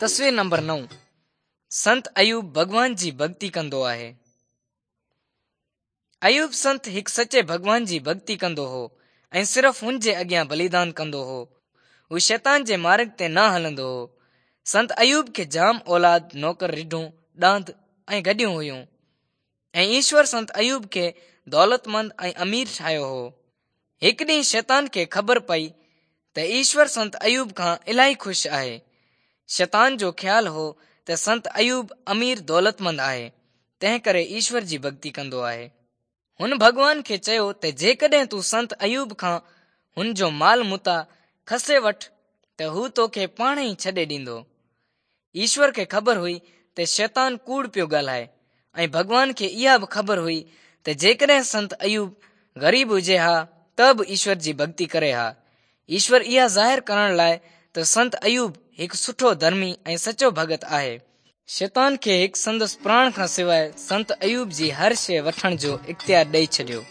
تصوير نمبر 9 سنت ايوب ڀڳوان جي ڀڳتي ڪندو آهي. ايوب سنت هڪ سچي ڀڳوان جي ڀڳتي ڪندو هو ۽ صرف هن جي اڳيان بليدان ڪندو هو. هو شيطان جي مارڳ تي نه هلندو هو. سنت ايوب کي جام اولاد، نوڪر، رڍون، ڏاند ۽ گڏهيون هيون ۽ ايشور سنت ايوب کي دولتمند ۽ امير ٺاهيو هو. هڪ ڏينهن شيطان کي خبر پئي ته ايشور سنت ايوب کان الاهي خوش آهي. شيطان جو خيال هو ته سنت ايوب امير دولتمند آهي، تنهن ڪري ايشور جي ڀڳتي ڪندو آهي. هن ڀڳوان کي چيو ته جيڪڏهن تون سنت ايوب کان هن جو مال متاع کسي وٺ ته هو توکي پاڻ ئي ڇڏي ڏيندو. ايشور کي خبر هئي ته شيطان ڪوڙ پيو ڳالهائي ۽ ڀڳوان کي اها به خبر هئي ته جيڪڏهن سنت ايوب غريب هجي ها ته به ايشور جي ڀڳتي ڪري ها. ايشور اها ظاهر ڪرڻ لاء ته سنت ايوب هڪ سٺو ڌرمي ۽ سچو ڀڳت آهي. شيطان کي هڪ سندس پراڻ کان سواء سنت ايوب جي هر شيء وٺڻ جو اختيار ڏئي ڇڏيو.